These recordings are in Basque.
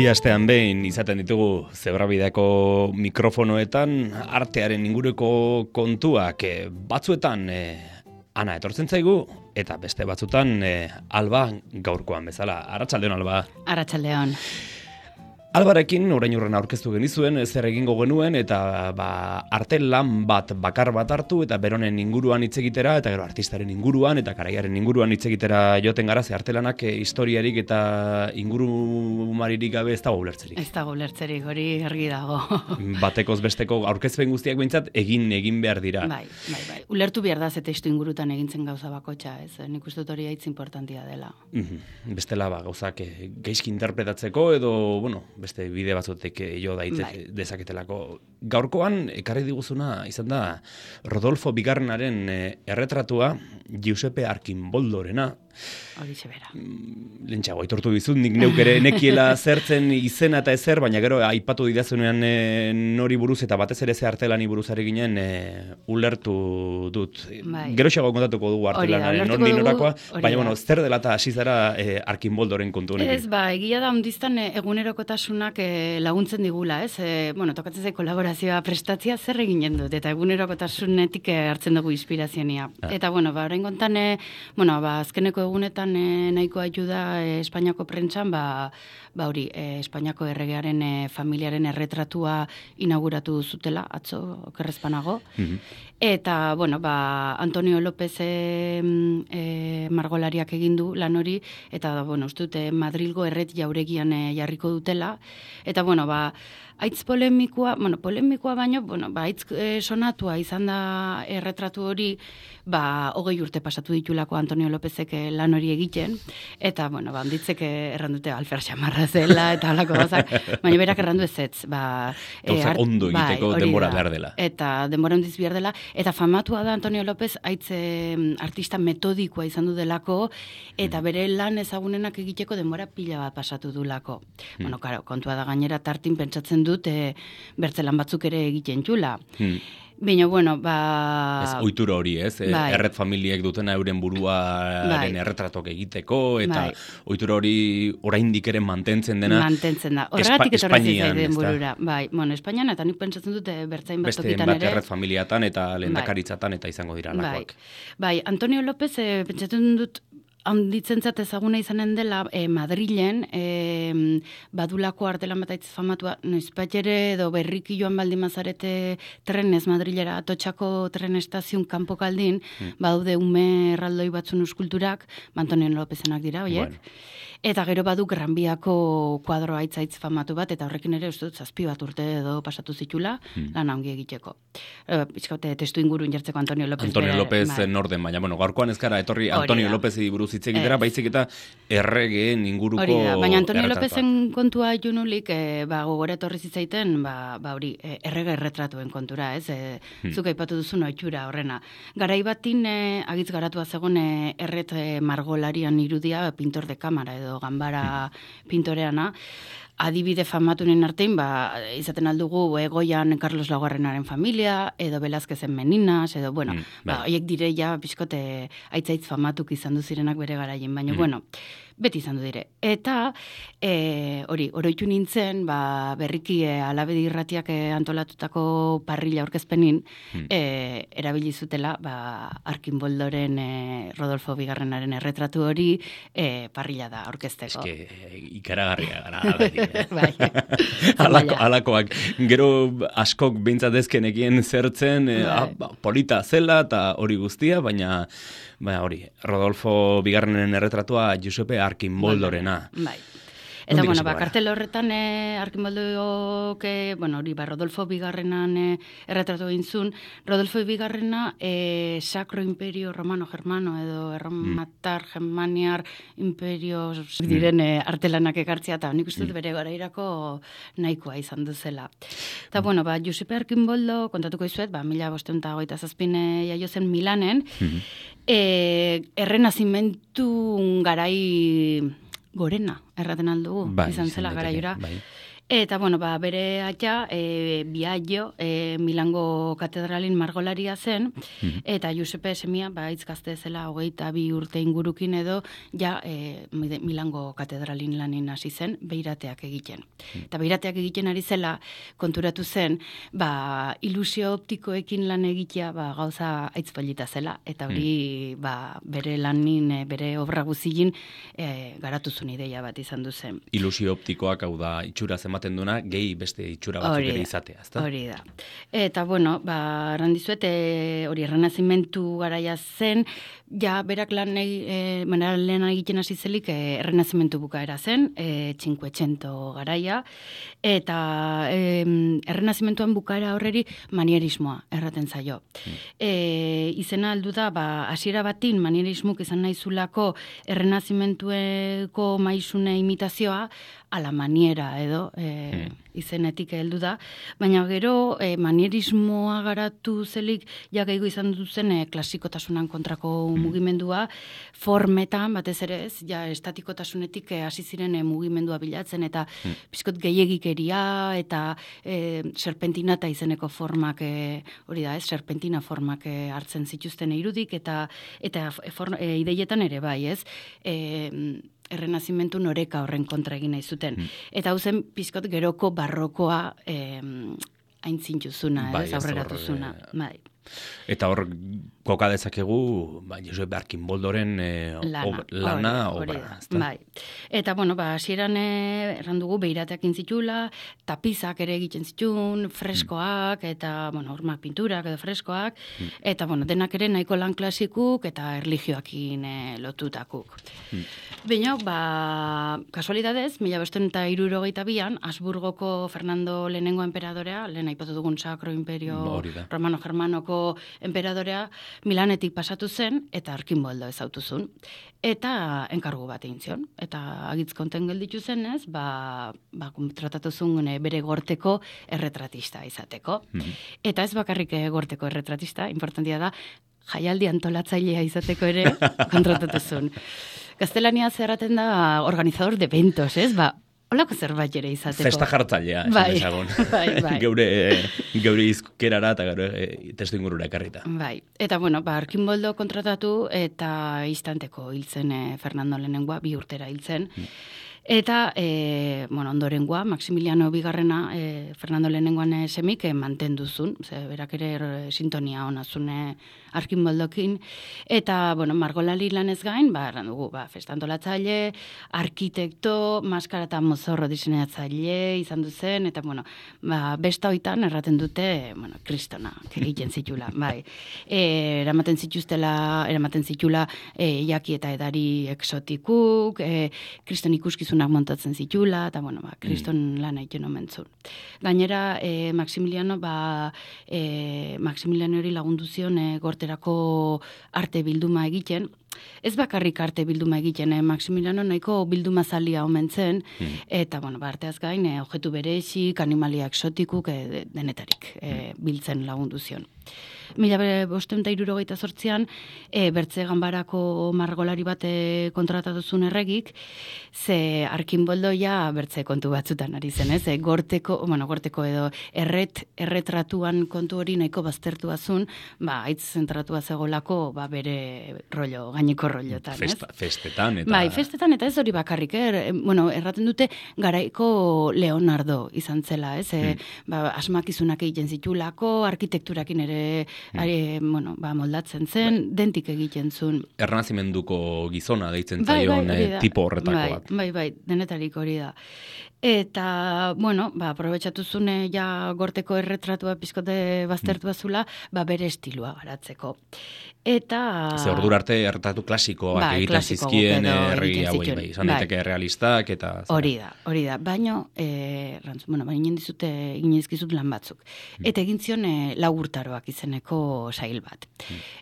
Bi astean behin izaten ditugu Zebrabideako mikrofonoetan artearen inguruko kontuak batzuetan Ana etortzen zaigu eta beste batzutan Alba gaurkoan bezala. Arratsaldeon Alba. Arratsaldeon. Albarekin orain urren aurkeztu genizuen zer egingo genuen eta arte lan bakar bat hartu eta beronen inguruan hitz egitera eta gero artistaren inguruan eta garaiaren inguruan hitz egitera joten gara ze artelanak historiarik eta ingurumaririk gabe ez dago ulertzerik. Ez dago ulertzerik, hori argi dago. Batekoz besteko aurkezpen guztiak behintzat egin behar dira. Bai. Ulertu behar da ze testu ingurutan egintzen gauza bakotxa, ez? Nik uste dut hori hitz importantia dela. Bestela gauzak gaizki interpretatzeko edo, beste bide batzutek jo dezaketelako. Gaurkoan, ekarri diguzuna izan da Rodolfo Bigarrenaren erretratua Giuseppe Archimboldorena. Horixe bera. Lentsago, aitortu dizut, nik neuk ere nekiela zertzen izena eta ezer, baina gero aipatu didazunean nori buruz eta batez ere ze artelani buruzari ginen ulertu dut. Bai. Gero xago kontatuko dugu artelanaren nor norakoa, baina zer dela eta hasi zara Archimboldoren kontu honekin. Ez, egia da ondiztan egunerokotasunak laguntzen digula, ez? Tokatzen zaik kolaborazioa prestatzia zer eginen dut, eta egunerokotasunetik hartzen dugu inspirazionia. Eta, orain kontan, azkeneko egunetan nahiko ayuda Espainiako prentsan, hori, Espainiako erregearen familiaren erretratua inauguratu zutela, atzo, okerrezpanago. Eta, Antonio López margolariak egin du lan hori, eta, uste dute Madrilgo erret jauregian jarriko dutela. Eta, aitz polemikoa baino, aitz sonatua izan da erretratu hori, 20 urte pasatu ditulako Antonio Lópezek lan hori egiten, eta, handitzek errandute alfer xamarra zela, eta halako gozak, baina berak errandu ezetz. Gauzak ondo egiteko denbora behar dela. Eta denbora ondiz behar dela, eta famatua da Antonio López aitz artista metodikoa izan du delako, eta bere lan ezagunenak egiteko denbora pila bat pasatu dulako. Kontua da gainera tartin pentsatzen dut, bertzelan batzuk ere egiten txula. Baina, Ez ohitura hori, ez? Erret familiek dutena euren buruaren erretratok egiteko, eta ohitura hori oraindik ere mantentzen dena. Mantentzen da. Horregatik etorri zaizen burura. Espainian, eta nik pentsatzen dute bertzain bat tokitan ere. Beste erret familiatan eta lehendakaritzatan eta izango dira lakoak. Antonio López pentsatzen dut handitzentzat ezaguna izanen dela Madrilen, badulako artelan bat aitz famatua, noizpatxere edo berriki joan baldin mazarete trenez Madrilera, Atotxako tren estazion kanpokaldin, badude ume erraldoi batzun eskulturak, Antonio Lópezenak dira, oiek? Eta gero badu Granbiako kuadro aitz famatu bat, eta horrekin ere uste dut 7 urte edo pasatu zitula, lan ongi egiteko. Bizkaute testu ingurun jartzeko Antonio López. Antonio López norden, baina gaurkoan ez gara etorri Antonio Lópezi buruz hitz egitera, baizik eta erregeen inguruko erretratua. Baina Antonio Lópezen kontua junulik, gogora etorri zitzaiten, hori, errege erretratuen kontura, ez? Zuk aipatu duzun ohitura horrena. Garai batin agitz garatua zegoen erret margolarian irudia pintor de kamara edo ganbara pintoreana, adibide famatunen artein, izaten aldugu Goian Carlos Laugarrenaren familia, edo Velázquezen Meninas, edo, horiek direia, pixkote aitzaitz famatuk izan duzirenak bere garaien, baina, beti izan du dire. Eta, oroitu nintzen, berriki Alabedi irratiak antolatutako parrilla aurkezpenin, erabili zutela, Archimboldoren Rodolfo Bigarrenaren erretratu hori parrilla da aurkezteko. Ikaragarria gara, beti. Alakoak, gero askok behintzatezkenekien zertzen, polita zela eta hori guztia, baina hori, Rodolfo Bigarrenen erretratua Giuseppe Archimboldorena. Eta, kartel horretan Archimboldok, Rodolfo Bigarrenan erretratu egin zuen. Rodolfo Bigarrena Sacro Imperio Romano Germano edo Erromatar Germaniar Imperio diren artelanak ekartzea, eta nik uste dut bere garairako nahikoa izan duzela. Eta, Giuseppe Archimboldo, kontatuko izuet, 1527 jaio zen Milanen, errenazimentu garai gorena, erraten aldugu, izan zela garaiora. Eta, bueno, bere atxa, Biagio, Milango katedralin margolaria zen, eta Giuseppe Semia, hitz gazte zela, 22 urte ingurukin edo, ja, Milango katedralin lanin hasi zen, beirateak egiten. Eta beirateak egiten ari zela, konturatu zen, ilusio optikoekin lan egitea, gauza aitzpalita zela, eta hori, bere lanin, bere obra guzilin, garatuzun ideia bat izan du zen. Ilusio optikoak, hau da, itxura ematen duna, gehi beste itxura batzuk ere izatea, ezta? Hori da. Eta, bueno, errandizuet, hori errenazimentu garaia zen, ja, berak lehen egiten hasi zelik, errenazimentu bukaera zen, 500 garaia, eta errenazimentuan bukaera horreri manierismoa erraten zaio. Izena aldu da, hasiera batin manierismuk izan nahizulako errenazimentueko maizune imitazioa, ala maniera edo izenetik heldu da, baina gero manierismoa garatu zelik jakaigo izan duzen klasikotasunan kontrako mugimendua, formetan, batez ere ez, ja estatikotasunetik hasi ziren mugimendua bilatzen, eta pizkot gehiegikeria, eta serpentinata izeneko formak, hori da ez, serpentina formak hartzen zituzten irudik, eta ideietan ere bai, ez, errenazimentu noreka horren kontra egin nahi zuten. Eta hau zen pizkot geroko barrokoa aintzintuzuna, aurreratuzuna. Eta hor koka dezakegu Josep Arkinboldoren lana, obra. Bai. Eta, bueno, hasieran errandugu beirateak intzitula, tapizak ere egiten zitun, freskoak, eta, bueno, hormak pinturak edo freskoak, eta, bueno, denak ere nahiko lan klasikuk eta erlijioakin lotutakuk. Baina, kasualidadez, 1562an, Habsburgoko Fernando lehenengo enperadorea, lehen aipatu dugun Sacro Imperio Romano-Germanoko enperadorea, Milanetik pasatu zen, eta Arkinboldo ezautuzun. Eta enkargu bat egin zion. Eta agitz konten gelditu zenez, tratatu zuen bere gorteko erretratista izateko. Eta ez bakarrik gorteko erretratista, importantia da, jaialdi antolatzailea izateko ere kontratatu zuen. Gaztelania zerraten da organizador de eventos, ez? Olako zerbait ere izateko. Festa jartzailea, esan Bai. Geure izkerara eta testu ingurura ekarrita. Bai. Eta, bueno, Arkinboldo kontratatu eta istanteko hiltzen Fernando lehenengoa, 2 urtera hiltzen. Eta, ondorengoa, Maximiliano bigarrena, Fernando lehenengoan semik mantenduzun, berak ere sintonia honazune Arkinboldokin, eta, margolari lanez gain, errandugu, festantolatzaile, arkitekto, maskara eta mozorro diseinatzaile izan duzen, eta, besta hoitan erraten dute, kristona, egiten zitula, bai. Eramaten zitula jaki eta edari eksotikuk, kriston ikuskizunak montatzen zitula, eta, kriston lan egiten omentzun. Gainera, Maximiliano hori lagundu zion gorterako arte bilduma egiten. Ez bakarrik arte bilduma egiten, Maximiliano nahiko bilduma zalia omen zen, eta, arteaz gain, objektu berezik, animalia eksotikuk, denetarik biltzen lagundu zion. 1568an, Bertze Ganbarako margolari bat kontratatu zuen erregik, ze Arkinboldo Bertze kontu batzutan ari zen, ez? Gorteko edo erretratuan kontu hori nahiko baztertua zuen, haitz zentratua zegolako bere rollo, gaineko rollotan, ez? Festetan, eta... Bai, festetan, eta ez hori bakarrik, erraten dute garaiko Leonardo izan zela, ez? Asmakizunak egiten zitulako, arkitekturakin ere moldatzen zen, dentik egiten zuen. Errenazimenduko gizona deitzen zaion tipo horretako bat. Bai, denetarik hori da. Eta, aprobetxatu zune gorteko erretratua pizkote baztertua zula, bere estilua garatzeko. Eta... Ze ordura arte erretratu klasikoak egiten zizkien herri hauei, izan daiteke realistak eta... Hori da. Baina, inizkizut lan batzuk. Eta egin zion 4 urtaroak izeneko sail bat.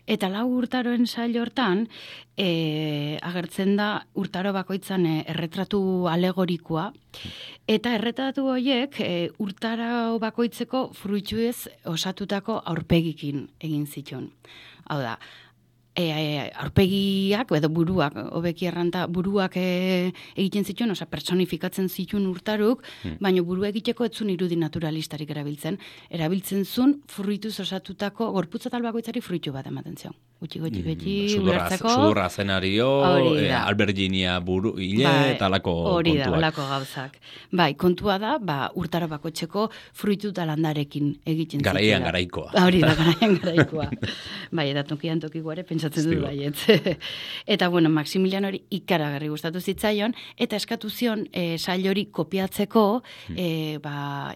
Eta 4 urtaroen sail hortan, agertzen da urtaro bakoitzan erretratu alegorikoa, eta erretratu horiek urtaro bakoitzeko fruituez osatutako aurpegikin egin zituen. Hau da, aurpegiak, edo buruak, hobeki erranta, buruak egiten zituen, osea, personifikatzen zituen Urtaruk, baina burua egiteko etzun irudi naturalistarik erabiltzen zuen fruituz osatutako, gorputza talbakoitzari fruitu bat ematen zion. Gutxi beti ulertzeko. Sudurra zenario, alberginia buru, hile, eta alako kontuak. Hori da, alako gauzak. Bai, kontua da, Urtaro bakoitzeko fruitu talandarekin egiten zituen. Garaian garaikoa. Hori da, garaian garaikoa. Bai, eta tokian tokikoare pentsatzen dut baiet. Eta, bueno, Maximilianori ikaragarri gustatu zitzaion, eta eskatu zion sail hori kopiatzeko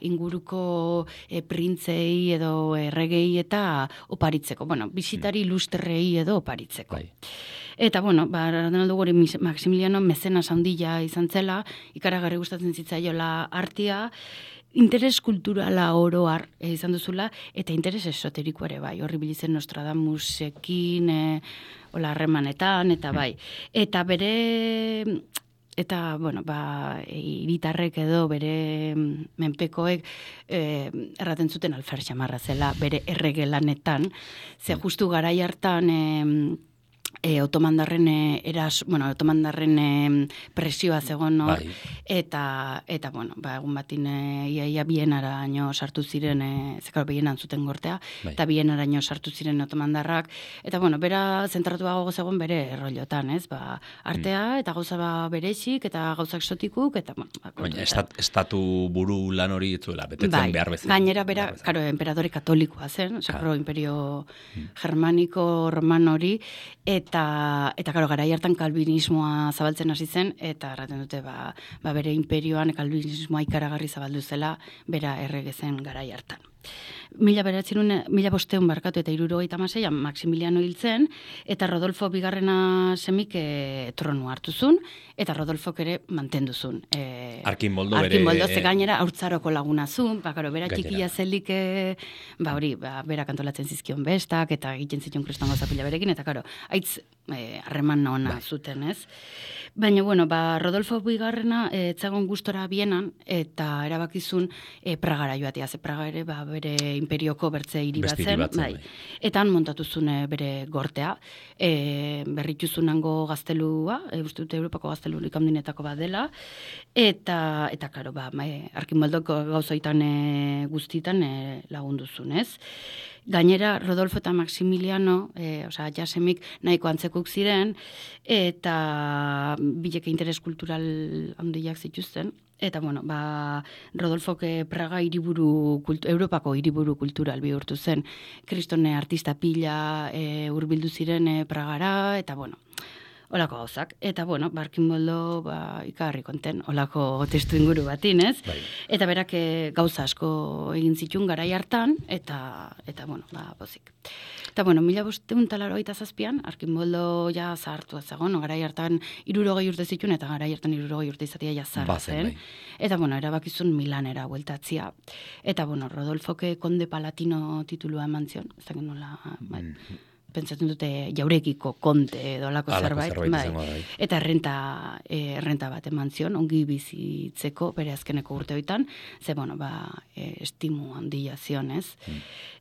inguruko printzei edo erregei eta oparitzeko. Bueno, bisitari ilustrei edo oparitzeko. Bai. Eta, bueno, Ronaldo gori Maximiliano mezenas handia izan zela, ikaragarri gustatzen zitzaiola artea, interes kulturala oroar izan duzula, eta interes esoteriko ere bai, horri bilizen Nostradamusekin, harremanetan, eta bai. Eta bere... Eta, bueno, hiritarrek edo bere menpekoek erraten zuten alfer xamarra zela bere erregelanetan, ze justu garai hartan otomandarren presioa zegoen hor, eta bueno, egun batin iaia Bienaraino sartu ziren, zekaro Bienan zuten gortea, eta Bienaraino sartu ziren otomandarrak, eta bueno, bera zentratuago zegoen bere errollotan, ez? Artea, eta gauza berexik, eta gauza exotikuk, eta bueno, baina estatu buru lan hori etzuela, betetzen behar bezala. Gainera bera, karo, emperadore katolikoa zen, imperio germaniko roman hori, eta karo, garai hartan kalbinismoa zabaltzen hasi zen, eta erraten dute, bere imperioan kalbinismoa ikaragarri zabaldu zela, bera errege zen garai hartan. 1500 barkatu eta 1976an Maximiliano hil zen, eta Rodolfo bigarrena semik tronu hartu zuen, eta Rodolfok ere mantendu zuen. Arkinboldo ze gainera haurtzaroko laguna zuen, bera txikia zelik, bera kantolatzen zizkion bestak, eta egiten zituen kristongo zapila berekin, eta karo, haitz harreman ona zuten, ez? Baina, bueno, Rodolfo bigarrena etzagon gustora Bienan, eta erabakizun Pragara joatea, ze Praga ere, bere imperioko bertze hiri bat zen, eta han montatu zuen bere gortea, berrituzunango gaztelua, uste dute Europako gaztelurik handinetako bat dela, eta karo, Arkinboldoko gauzoitan guztitan lagundu zuen, ez? Gainera, Rodolfo eta Maximiliano, jasemik nahiko antzekuk ziren, eta bileke interes kultural handiak zituzten. Eta, bueno, Rodolfok Praga Europako hiriburu kultural bihurtu zen. Kristone artista pila hurbildu ziren Pragara, eta, bueno, olako gauzak. Eta, bueno, Arkinboldo ikarri konten, olako testu inguru batin, ez? Eta berak gauza asko egin zituen garai hartan, eta bueno, pozik. Eta, bueno, 1587an, Arkinboldo ja zahartua zegoen, garai hartan 60 urte zituen, eta garai hartan 60 urte izatea ja zaharra zen. Eta, bueno, erabakizun Milanera bueltatzia. Eta, bueno, Rodolfoke Konde Palatino titulua eman zion, ez dakit nola, pentsatzen dute jaurekiko konte edo alako zerbait, eta errenta bat eman zion, ongi bizitzeko bere azkeneko urteoitan, ze, bueno, estimu handia zion, ez?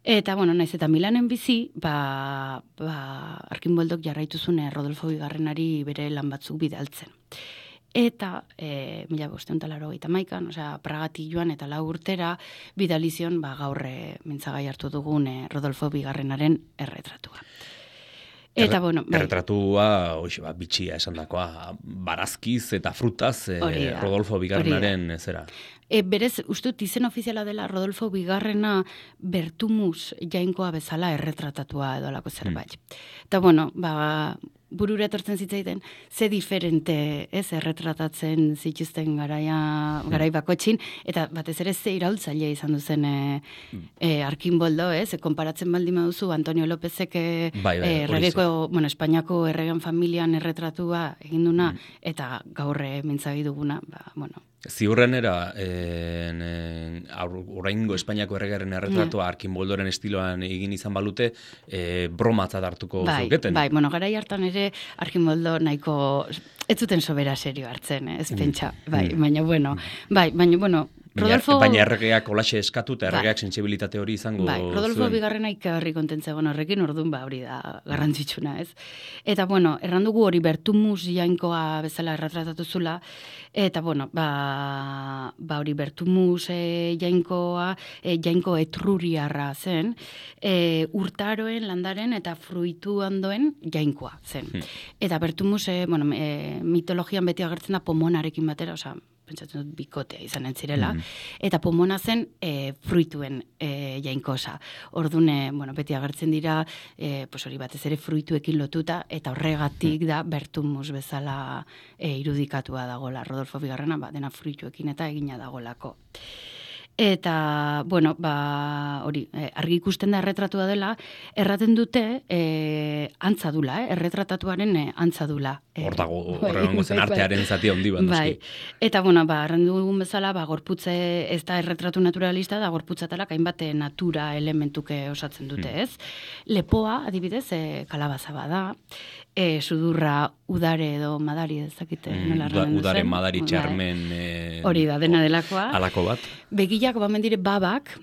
Eta, bueno, naiz eta Milanen bizi, Arkinboldok jarraitu zuen Rodolfo bigarrenari bere lan batzuk bidaltzen. Eta 1581an, Pragatik joan eta 4 urtera bidalizion gaur mintzagai hartu dugun Rodolfo bigarrenaren erretratua. Eta, bueno, erretratua, bitxia esan dakoa, barazkiz eta frutaz Rodolfo bigarrenaren zera. Berez, ustut, izen ofiziala dela Rodolfo bigarrena Bertumus jainkoa bezala erretratatua edo alako zerbait. Eta, bueno, burura etortzen zitzaiten, ze diferente erretratatzen zituzten garai bakotxin, eta batez ere ze iraultzaile izan duzen Arkinboldo, konparatzen baldin baduzu Antonio Lópezek Espainiako erregen familian erretratua eginduna, eta gaur mintzagi duguna, bueno. Ziurrenera, oraingo Espainiako erregaren erretratua Arkinboldoren estiloan egin izan balute, bromatzat hartuko zuketen. Bai, bueno, garai hartan ere Arkinboldo nahiko ez zuten sobera serio hartzen, ez pentsa, baina bueno, Baina erregeak kolaxe eskatu eta erregeak sentsibilitate hori izango zuen. Rodolfo zuen. Bigarrena ikagarri kontentzegon horrekin, orduan hori da garrantzitsuna, ez? Eta, bueno, errandugu hori Bertumus jainkoa bezala erretratatu zula, eta, bueno, hori Bertumus jainkoa, jainko etruriarra zen, urtaroen, landaren eta fruitu handoen jainkoa zen. Eta Bertumus, mitologian beti agertzen da pomonarekin batera, osea, pentsatzen dut bikotea izanen zirela, eta pomona zen fruituen jainkosa. Orduan, beti agertzen dira, hori batez ere fruituekin lotuta, eta horregatik da Bertumus bezala irudikatua dagola. Rodolfo Bigarrena, dena fruituekin eta egina dagolako. Eta, hori, argi ikusten da erretratua dela, erraten dute antza dula, erretratatuaren antza dula. Hor dago, horrengo zen artearen zati handi bat. Bai, eta, errandu dugun bezala, gorputze ez da erretratu naturalista, da gorputzatalak hainbat natura elementuke osatzen dute, ez? Lepoa, adibidez, kalabaza bada, sudurra udare edo madari ezakite nola erranen duzen. Udare madari txarmen hori da, dena delakoa. Alako bat. Begilak dire babak,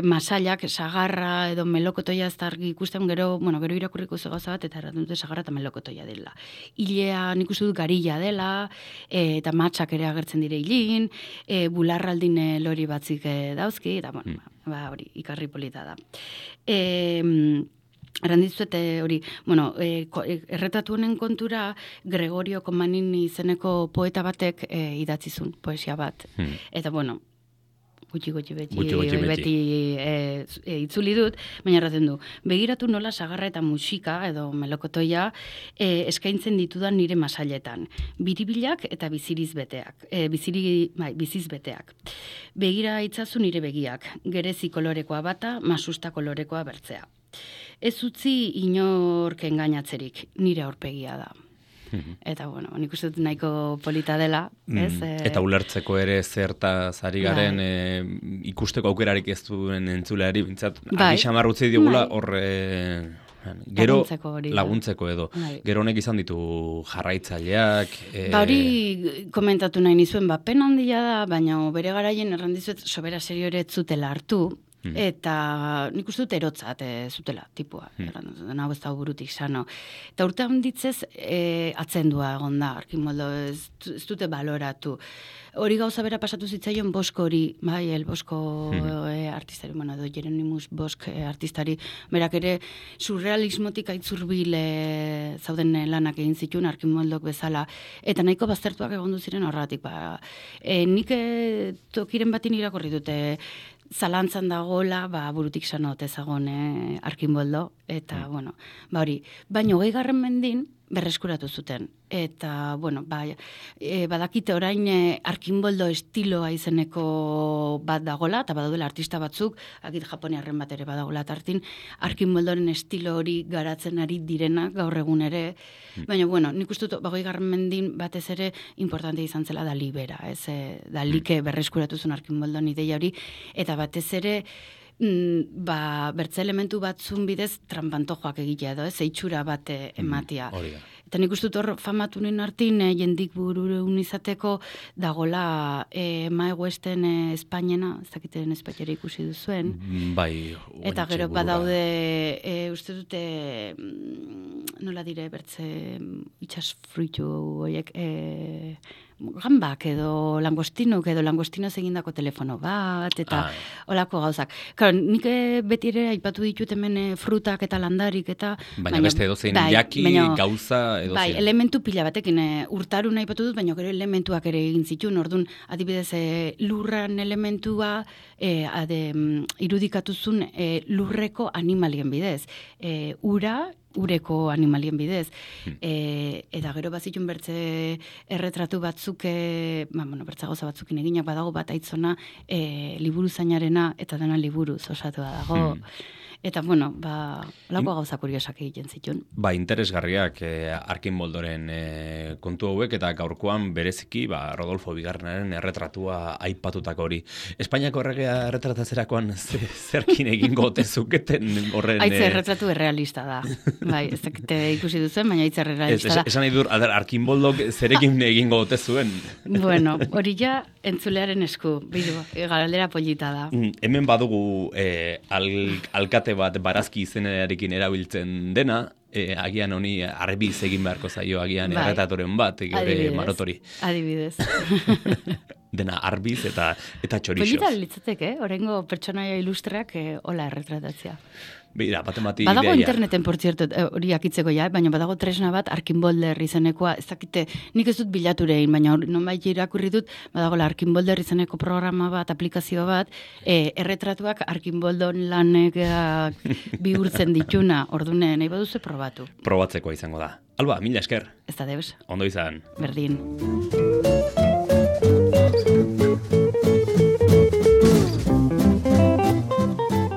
masailak, sagarra edo melokotoia ez da argi ikusten, gero irakurriko ze gauza bat, eta erraten dute sagarra eta melokotoia dela. Ilea nik uste dut garilla dela, eta matxak ere agertzen dire hilin, bularraldin lori batzik dauzki, eta hori, ikarri polita da. Errandizuet hori, erretatu honen kontura Gregorio Comanini izeneko poeta batek idatzizun poesia bat. Eta, gutxi beti itzuli dut, baina erraten du, begiratu nola sagarra eta musika edo melokotoia eskaintzen ditudan nire masailetan. Biribilak eta biziz beteak. Begira itzazu nire begiak, gerezi kolorekoa bata, masusta kolorekoa bertzea. Ez utzi inork engainatzerik, nire aurpegia da. Eta, nik uste dut nahiko polita dela, ez? Eta ulertzeko ere zertaz ari garen ikusteko aukerarik ez duen entzuleari, bintzat, agixamar utzi digula gero laguntzeko edo. Gero honek izan ditu jarraitzaileak. Hori komentatu nahi nizuen, pena handia da, baina bere garaien errandizuet sobera serio ere zutela hartu, eta nik uste dut erotzat zutela, tipua. Hau ez da burutik sano. Eta urte handitzez atzendua egon da, Arkimoldo ez dute baloratu. Hori gauza bera pasatu zitzaion Bosk hori, el Bosko artistari, edo Jeronimus Bosk artistari, berak ere surrealismotik aitzurbil zauden lanak egin zituen Arkimoldok bezala, eta nahiko baztertuak egon ziren horratik. Nik tokiren batin irakorri dute, zalantzan dagoela, burutik sanot ezagon Arkimoldo, eta, hori. Baina 20. mendin berreskuratu zuten. Eta, badakite orain Arkimoldo estiloa izeneko bat dagola, eta badaudela artista batzuk, akit japoniarren bat ere badagola tartin, Arkimoldoren estilo hori garatzen ari direnak gaur egun ere, baina, nik uste dut, 20. mendin batez ere importante izan zela Dalibera, ez? Dalike berreskuratu zuen Arkimoldon ideia hori, eta batez ere, bertze elementu batzun bidez trampantojoak egitea edo, eitxura bat ematia. Eta nik uste dut hor famatu nien hartin, jendik bururun izateko dagola Mae Westen Espainiena, ez dakiten Espainiera ikusi duzuen. Bai. Eta gero badaude, uste dute, nola dire, bertze itxas fruitu horiek, gambak edo langostinok edo langostinoz egindako telefono bat, eta olako gauzak. Claro, nik beti ere aipatu ditut hemen frutak eta landarik, eta... Baina beste edozein jaki, gauza, edozein. Bai, elementu pila batekin urtarun aipatu dut, baina gero elementuak ere egin zituen, orduan, adibidez, lurran elementua irudikatuzun lurreko animalien bidez. Ureko animalien bidez. Eta gero bazitun bertze erretratu batzuk, bertza gauza batzukin eginak badago bat aitzona liburu zainarena eta dena liburuz osatua dago. Eta, lako gauza kuriosak egiten zituen. Interesgarriak Arkimoldoren kontu hauek, eta gaurkoan bereziki Rodolfo Bigarrenaren erretratua aipatutako hori. Espainiako erregea erretratatzerakoan zerkin egingo tezuketen horren... Aitze erretratu errealista da. Ez dakite ikusi duzen, baina aitze errealista da. Esan nahi dur, Arkimoldok zerekin egingo tezuen. Hori ja, entzulearen esku, bidu, galdera polita da. Hemen badugu alkate bat barazki izenarekin erabiltzen dena, agian honi arbiz egin beharko zaio agian erretatoren bat, gure marotori. Adibidez. Dena arbiz eta txorixoz. Polita litzateke, orengo pertsonaia ilustreak hola erretratatzea. Bira, batemati badago ideia. interneten, por cierto, hori akitzeko baina badago tresna bat, Arkinbolder izenekoa, ez dakite, nik ez dut bilaturein, baina nonbait irakurri dut, badago Arkinbolder izeneko programa bat, aplikazio bat, erretratuak Arkinboldon lanek bihurtzen dituna, ordune, nahi baduzu probatu. Probatzekoa izango da. Alba, mila esker. Ez da deus. Ondo izan. Berdin.